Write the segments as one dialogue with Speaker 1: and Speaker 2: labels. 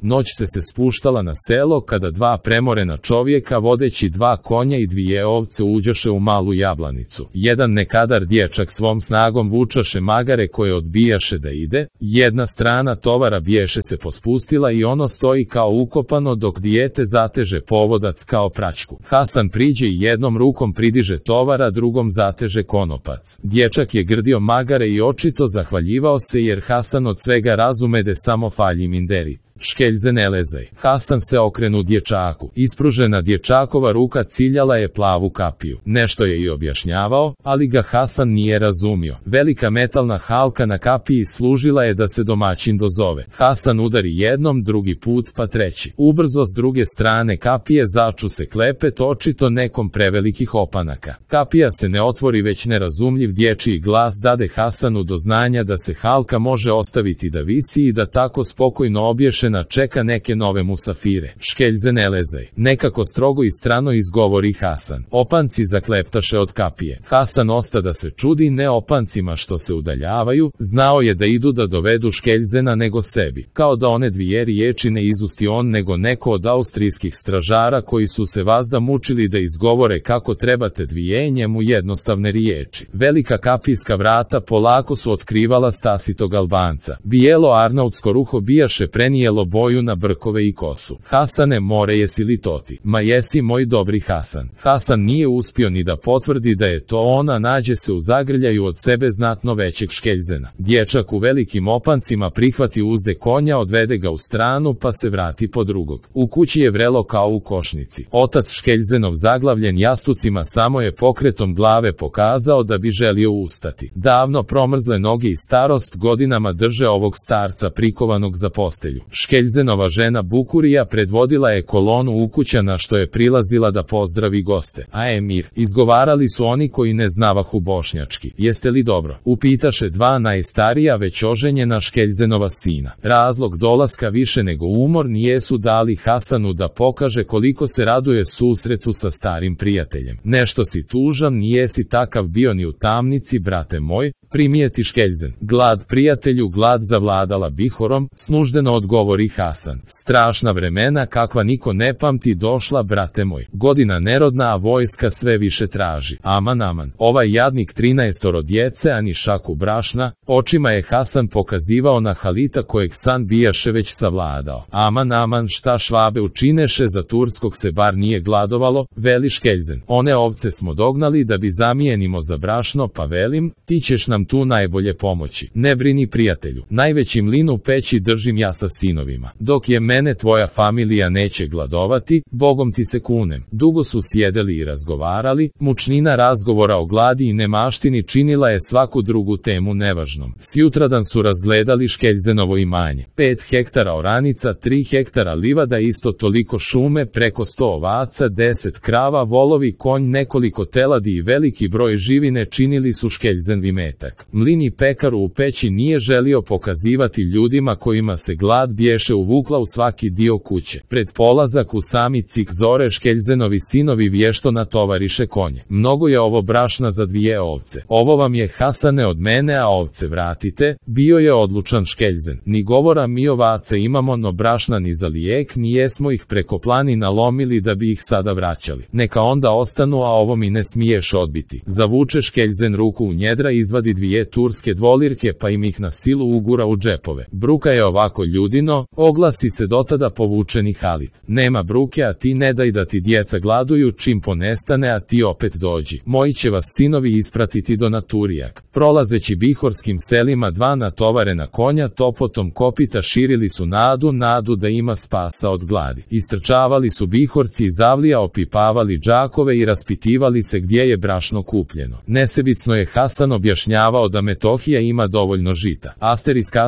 Speaker 1: Noć se spuštala na selo kada dva premorena čovjeka vodeći dva konja i dvije ovce uđoše u malu jablanicu. Jedan nekadar dječak svom snagom vučaše magare koje odbijaše da ide, jedna strana tovara biješe se pospustila i ono stoji kao ukopano dok dijete zateže povodac kao praćku. Hasan priđe i jednom rukom pridiže tovara, drugom zateže konopac. Dječak je grdio magare i očito zahvaljivao se jer Hasan od svega razumede samo falji minderi. Škeljze ne lezaj. Hasan se okrenu dječaku. Ispružena dječakova ruka ciljala je plavu kapiju. Nešto je i objašnjavao, ali ga Hasan nije razumio. Velika metalna halka na kapiji služila je da se domaćin dozove. Hasan udari jednom, drugi put pa treći. Ubrzo s druge strane kapije začu se klepet, očito nekom prevelikih opanaka. Kapija se ne otvori, već nerazumljiv dječji glas dade Hasanu do znanja da se halka može ostaviti da visi i da tako spokojno obješena čeka neke nove musafire. Škeljze ne lezaj. Nekako strogo i strano izgovori Hasan. Opanci zakleptaše od kapije. Hasan osta da se čudi ne opancima što se udaljavaju, znao je da idu da dovedu Škeljzena nego sebi. Kao da one dvije riječi ne izusti on nego neko od austrijskih stražara koji su se vazda mučili da izgovore kako trebate dvije njemu jednostavne riječi. Velika kapijska vrata polako su otkrivala stasitog Albanca. Bijelo arnautsko ruho bijaše prenijelo boju na brkove i kosu. Hasane, more, jesi li to ti? Ma jesi, moj dobri Hasan. Hasan nije uspio ni da potvrdi da je to ona, nađe se u zagrljaju od sebe znatno većeg Škeljzena. Dječak u velikim opancima prihvati uzde konja, odvede ga u stranu pa se vrati po drugog. U kući je vrelo kao u košnici. Otac Škeljzenov, zaglavljen jastucima, samo je pokretom glave pokazao da bi želio ustati. Davno promrzle noge i starost godinama drže ovog starca prikovanog za postelju. Škeljzenova žena Bukurija predvodila je kolonu ukućana što je prilazila da pozdravi goste. A emir, izgovarali su oni koji ne znavahu bošnjački. Jeste li dobro? Upitaše dva najstarija već oženjena Škeljzenova sina. Razlog dolaska više nego umor nijesu dali Hasanu da pokaže koliko se raduje susretu sa starim prijateljem. Nešto si tužan, nijesi takav bio ni u tamnici, brate moj, primijeti Škeljzen. Glad, prijatelju, glad zavladala Bihorom, snuždeno odgovori Hasan. Strašna vremena kakva niko ne pamti došla, brate moj. Godina nerodna, a vojska sve više traži. Aman, aman. Ovaj jadnik 13 djece, a ni šaku brašna. Očima je Hasan pokazivao na Halita kojeg san bijaše već savladao. Aman, aman, šta Švabe učineše, za Turskog se bar nije gladovalo, veli Škeljzen. One ovce smo dognali da bi zamijenimo za brašno, pa velim, ti ćeš nam tu najbolje pomoći. Ne brini, prijatelju. Najveći mlin u peći držim ja sa sinovima. Dok je mene tvoja familija neće gladovati, Bogom ti se kunem. Dugo su sjedeli i razgovarali, mučnina razgovora o gladi i nemaštini činila je svaku drugu temu nevažnom. Sjutradan su razgledali Škeljzenovo imanje. 5 hektara oranica, 3 hektara livada, isto toliko šume, preko 100 ovaca, 10 krava, volovi, konj, nekoliko teladi i veliki broj živine činili su Škeljzen imetak. Mlin i pekaru u peći nije želio pokazivati ljudima kojima se glad biješe uvukla u svaki dio kuće. Pred polazak u sami cik zore Škeljzenovi sinovi vješto natovariše konje. Mnogo je ovo brašna za 2 ovce. Ovo vam je, Hasane, od mene, a ovce vratite, bio je odlučan Škeljzen. Ni govora mi ovace imamo, no brašna ni za lijek, ni jesmo ih preko planina lomili da bi ih sada vraćali. Neka onda ostanu, a ovo mi ne smiješ odbiti. Zavuče Škeljzen ruku u njedra, izvadi 2 turske dvolirke pa im ih na silu ugura u džepove. Bruka je ovako, ljudino, oglasi se dotada povučeni Halit. Nema bruke, a ti ne daj da ti djeca gladuju, čim ponestane, a ti opet dođi. Moji će vas sinovi ispratiti do Naturijak. Prolazeći bihorskim selima 2 natovarena konja topotom kopita širili su nadu da ima spasa od gladi. Istrčavali su bihorci iz avlija, opipavali džakove i raspitivali se gdje je brašno kupljeno. Nesebicno je Hasan objašnjavao da Metohija ima dovoljno žita. Asterisk,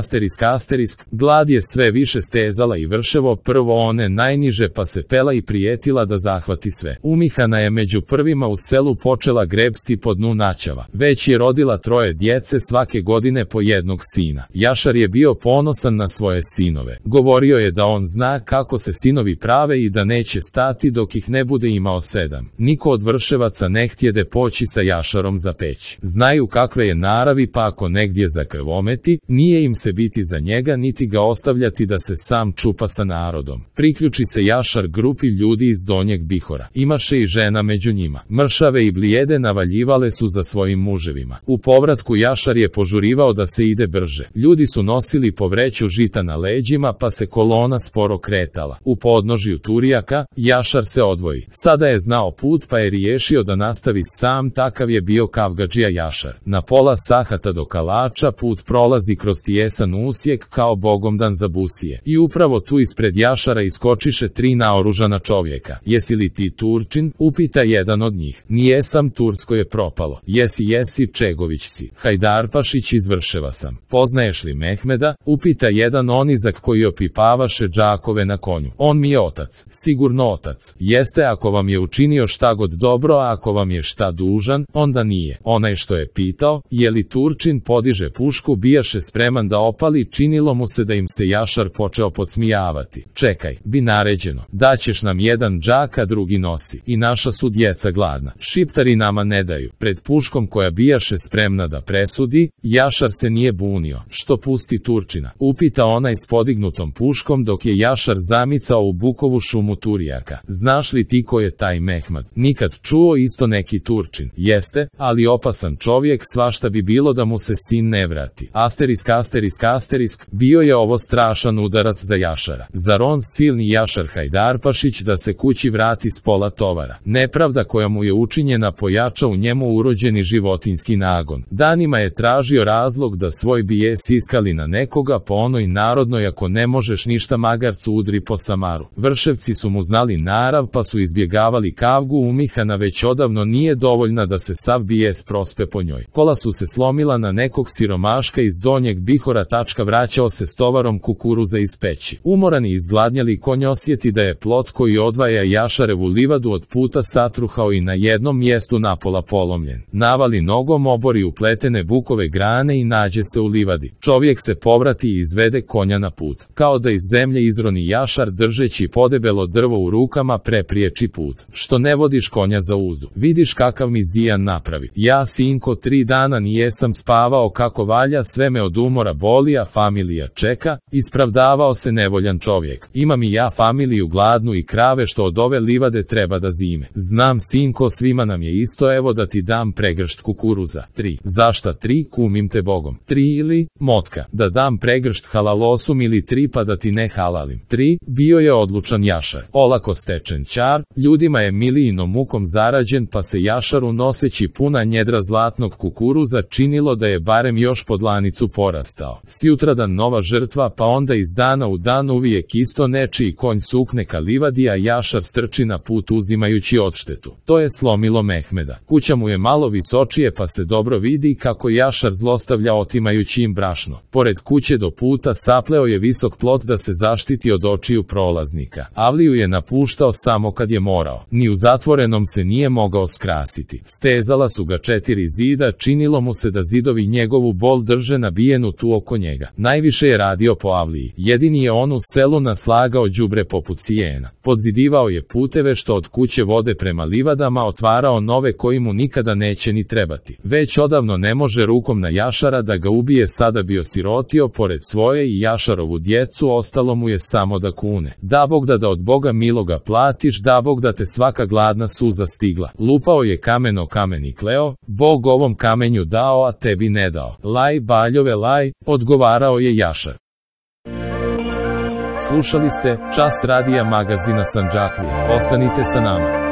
Speaker 1: glad je sve više stezala i vrševo, prvo one najniže pa se pela i prijetila da zahvati sve. Umihana je među prvima u selu počela grebsti po dnu Načava. Već je rodila 3 djece, svake godine po jednog sina. Jašar je bio ponosan na svoje sinove. Govorio je da on zna kako se sinovi prave i da neće stati dok ih ne bude imao 7. Niko od vrševaca ne htjede poći sa Jašarom za peć. Znaju kakve je naravi, pa ako negdje zakrvometi, nije im se biti za njega niti ga ostavljati da se sam čupa sa narodom. Priključi se Jašar grupi ljudi iz Donjeg Bihora. Imaše i žena među njima. Mršave i blijede navaljivale su za svojim muževima. U povratku Jašar je požurivao da se ide brže. Ljudi su nosili po vreću žita na leđima, pa se kolona sporo kretala. U podnožju Turijaka, Jašar se odvoji. Sada je znao put, pa je riješio da nastavi sam, takav je bio kavgadžija Jašar. Na pola sahata do Kalača put prolazi kroz tijesan usjek kao bogomdan za busije. I upravo tu ispred Jašara iskočiše 3 naoružana čovjeka. Jesi li ti Turčin? Upita jedan od njih. Nijesam, tursko je propalo. Jesi, Čegović si. Hajdarpašić, izvrševa sam. Poznaješ li Mehmeda? Upita jedan onizak koji opipavaše džakove na konju. On mi je otac. Sigurno otac. Jeste, ako vam je učinio šta god dobro, a ako vam je šta dužan, onda nije. Onaj što je pitao, je li Turčin, podiže pušku, bijaše spreman da opali, činilo mu se da im se Jašar počeo podsmijavati. Čekaj, bi naređeno. Daćeš nam jedan džak, a drugi nosi. I naša su djeca gladna. Šiptari nama ne daju. Pred puškom koja bijaše spremna da presudi, Jašar se nije bunio. Što pusti Turčina? Upita onaj s podignutom puškom dok je Jašar zamicao u bukovu šumu Turijaka. Znaš li ti ko je taj Mehmed? Nikad čuo, isto neki Turčin. Jeste, ali opasan čovjek, svašta bi bilo da mu se sin ne vrati. Asterisk, bio je ovo strašan udarac za Jašara. Zar on, silni Jašar Hajdarpašić, da se kući vrati s pola tovara? Nepravda koja mu je učinjena pojača u njemu urođeni životinjski nagon. Danima je tražio razlog da svoj bijes iskali na nekoga, po onoj narodnoj, ako ne možeš ništa magarcu udri po samaru. Vrševci su mu znali narav, pa su izbjegavali kavgu, umihana već odavno nije dovoljna da se sav bijes prospe po njoj. Kola su se slomila na nekog siromaška iz Donjeg Bihora, vraćao se s tovarom kukuruza iz peći. Umoran i izgladnjali konj osjeti da je plot koji odvaja Jašarevu livadu od puta satruhao i na jednom mjestu napola polomljen. Navali nogom, obori upletene bukove grane i nađe se u livadi. Čovjek se povrati i izvede konja na put. Kao da iz zemlje izroni Jašar, držeći podebelo drvo u rukama, prepriječi put. Što ne vodiš konja za uzdu? Vidiš kakav mi zijan napravi. Ja, sinko, 3 dana nijesam spavao kako valja, sve me od umora boli, a familija čeka, ispravdavao se nevoljan čovjek. Imam i ja familiju gladnu i krave što od ove livade treba da zime. Znam, sinko, svima nam je isto, evo da ti dam pregršt kukuruza. 3. Zašta 3, kumim te Bogom? 3 ili, motka, da dam pregršt halalosum ili 3 pa da ti ne halalim. 3. Bio je odlučan Jašar. Olako stečen ćar, ljudima je milijinom mukom zarađen, pa se Jašaru, noseći puna njedra zlatnog kukuruza, činilo da je barem još po dlanicu porastao. Sjutradan nova žrtva, pa onda iz dana u dan uvijek isto, nečiji konj sukne ka livadi, a Jašar strči na put uzimajući odštetu. To je slomilo Mehmeda. Kuća mu je malo visočije, pa se dobro vidi kako Jašar zlostavlja otimajući im brašno. Pored kuće do puta sapleo je visok plot da se zaštiti od očiju prolaznika. Avliju je napuštao samo kad je morao. Ni u zatvorenom se nije mogao skrasiti. Stezala su ga 4 zida, činilo mu se da zidovi njegovu bol drže nabijenu tu oko njega. Najviše je radio po avliji. Jedini je on u selu naslagao đubre poput sijena. Podzidivao je puteve što od kuće vode prema livadama, otvarao nove koji mu nikada neće ni trebati. Već odavno ne može rukom na Jašara da ga ubije, sada bi osirotio, pored svoje i Jašarovu djecu ostalo mu je samo da kune. Da Bog da od Boga miloga platiš, da Bog da te svaka gladna suza stigla. Lupao je kamen o kamen i kleo, Bog ovom kamenju dao, a tebi ne dao. Laj, baljove, laj, odgovarao je Jašar. Slušali ste Čas radija magazina Sandžaklije. Ostanite sa nama.